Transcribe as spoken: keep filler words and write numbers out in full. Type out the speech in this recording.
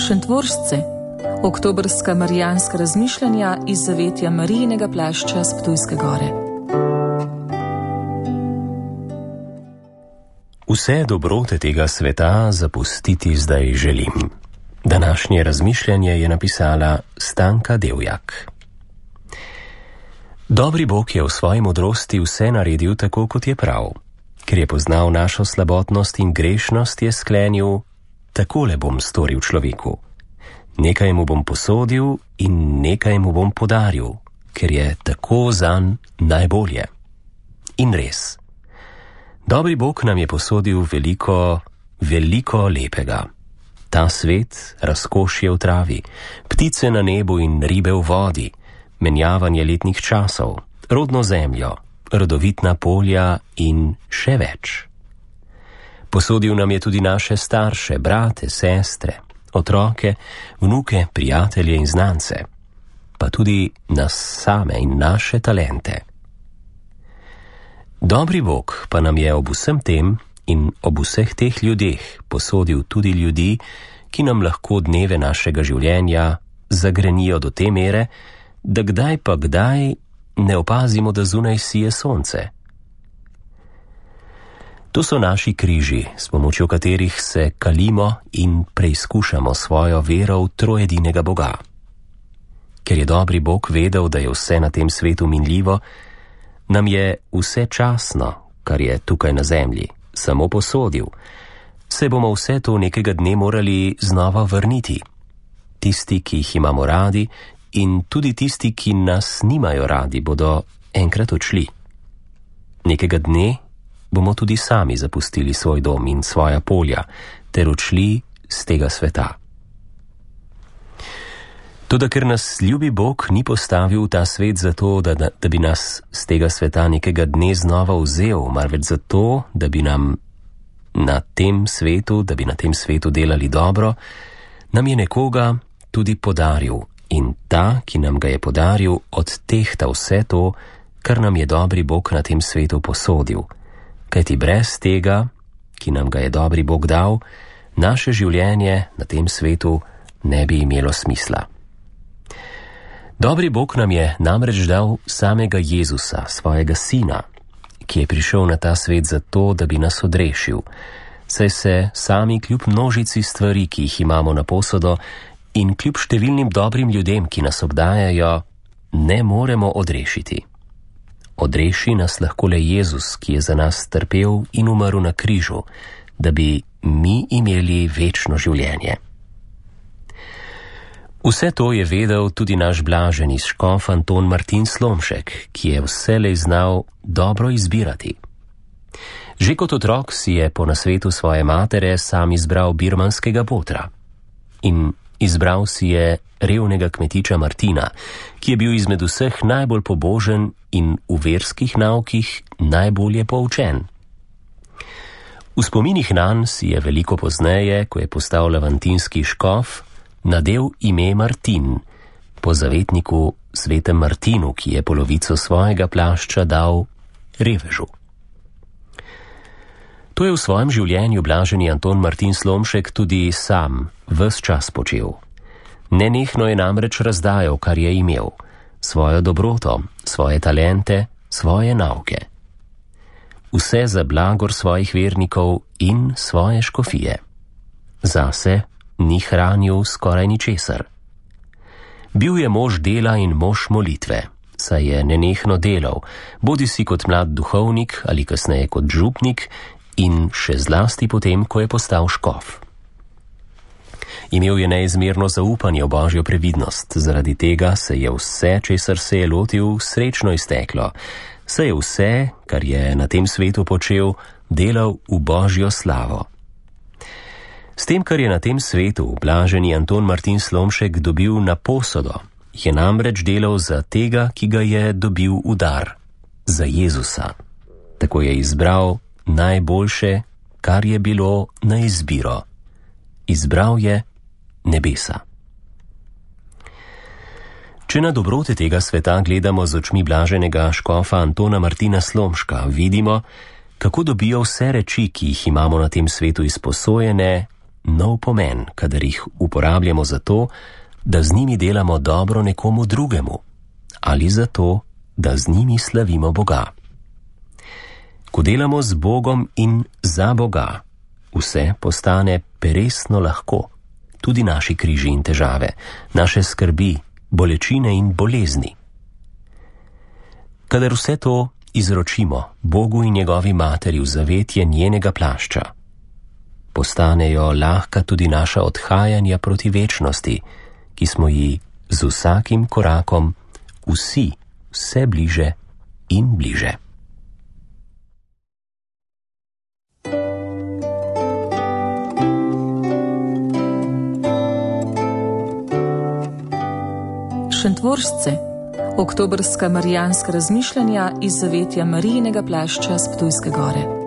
Šentvoržce, oktobrska marijanska razmišljanja iz zavetja Marijinega plašča s Ptujske gore. Vse dobrote tega sveta zapustiti zdaj želim. Današnje razmišljanje je napisala Stanka Devjak. Dobri Bog je v svoji modrosti vse naredil tako, kot je prav. Ker je poznal našo slabotnost in grešnost, je sklenil: takole bom storil človeku. Nekaj mu bom posodil in nekaj mu bom podaril, ker je tako zanj najbolje. In res. Dobri Bog nam je posodil veliko, veliko lepega. Ta svet, razkošje v travi, ptice na nebu in ribe v vodi, menjavanje letnih časov, rodno zemljo, rodovitna polja in še več. Posodil nam je tudi naše starše, brate, sestre, otroke, vnuke, prijatelje in znance, pa tudi nas same in naše talente. Dobri Bog pa nam je ob vsem tem in ob vseh teh ljudeh posodil tudi ljudi, ki nam lahko dneve našega življenja zagrenijo do te mere, da kdaj pa kdaj ne opazimo, da zunaj sije sonce. To so naši križi, s pomočjo katerih se kalimo in preizkušamo svojo vero v trojedinega Boga. Ker je dobri Bog vedel, da je vse na tem svetu minljivo, nam je vse časno, kar je tukaj na zemlji, samo posodil. Se bomo vse to nekega dne morali znova vrniti. Tisti, ki jih imamo radi, in tudi tisti, ki nas nimajo radi, bodo enkrat odšli. Nekega dne bomo tudi sami zapustili svoj dom in svoja polja, ter odšli z tega sveta. Toda ker nas ljubi Bog ni postavil v ta svet zato, da, da, da bi nas z tega sveta nekega dne znova vzel, marveč zato, da bi nam na tem svetu, da bi na tem svetu delali dobro, nam je nekoga tudi podaril. In ta, ki nam ga je podaril, odtehta vse to, kar nam je dobri Bog na tem svetu posodil. Kajti brez tega, ki nam ga je dobri Bog dal, naše življenje na tem svetu ne bi imelo smisla. Dobri Bog nam je namreč dal samega Jezusa, svojega sina, ki je prišel na ta svet zato, da bi nas odrešil, saj se sami kljub množici stvari, ki jih imamo na posodo, in kljub številnim dobrim ljudem, ki nas obdajajo, ne moremo odrešiti. Odreši nas lahko le Jezus, ki je za nas trpel in umrl na križu, da bi mi imeli večno življenje. Vse to je vedel tudi naš blaženi škof Anton Martin Slomšek, ki je vselej znal dobro izbirati. Že kot otrok si je po nasvetu svoje matere sam izbral birmanskega botra. In izbral si je revnega kmetiča Martina, ki je bil izmed vseh najbolj pobožen in v verskih naukih najbolje poučen. V spominih nanj si je veliko pozneje, ko je postal lavantinski škof, nadel ime Martin, po zavetniku svetem Martinu, ki je polovico svojega plašča dal revežu. To je v svojem življenju blaženi Anton Martin Slomšek tudi sam ves čas počel. Nenehno je namreč razdajal, kar je imel, svojo dobroto, svoje talente, svoje nauke. Vse za blagor svojih vernikov in svoje škofije. Zase ni hranil skoraj ničesar. Bil je mož dela in mož molitve, saj je nenehno delal, bodisi kot mlad duhovnik ali kasneje kot župnik, in še zlasti potem, ko je postal škof. Imel je neizmerno zaupanje v Božjo previdnost, zaradi tega se je vse, česar se je lotil, srečno izteklo, saj je vse, kar je na tem svetu počel, delal v Božjo slavo. S tem, kar je na tem svetu blaženi Anton Martin Slomšek dobil na posodo, je namreč delal za tega, ki ga je dobil v dar, za Jezusa. Tako je izbral najboljše, kar je bilo na izbiro. Izbral je nebesa. Če na dobrote tega sveta gledamo z očmi blaženega škofa Antona Martina Slomška, vidimo, kako dobijo vse reči, ki jih imamo na tem svetu izposojene, nov pomen, kadar jih uporabljamo za to, da z njimi delamo dobro nekomu drugemu ali za to, da z njimi slavimo Boga. Ko delamo z Bogom in za Boga, vse postane peresno lahko, tudi naši križi in težave, naše skrbi, bolečine in bolezni. Kadar vse to izročimo Bogu in njegovi materi v zavetje njenega plašča, postanejo lahka tudi naša odhajanja proti večnosti, ki smo ji z vsakim korakom vsi vse bliže in bliže. Šentvoržce, oktobrska marijanska razmišljanja iz zavetja Marijinega plašča s Ptujske gore.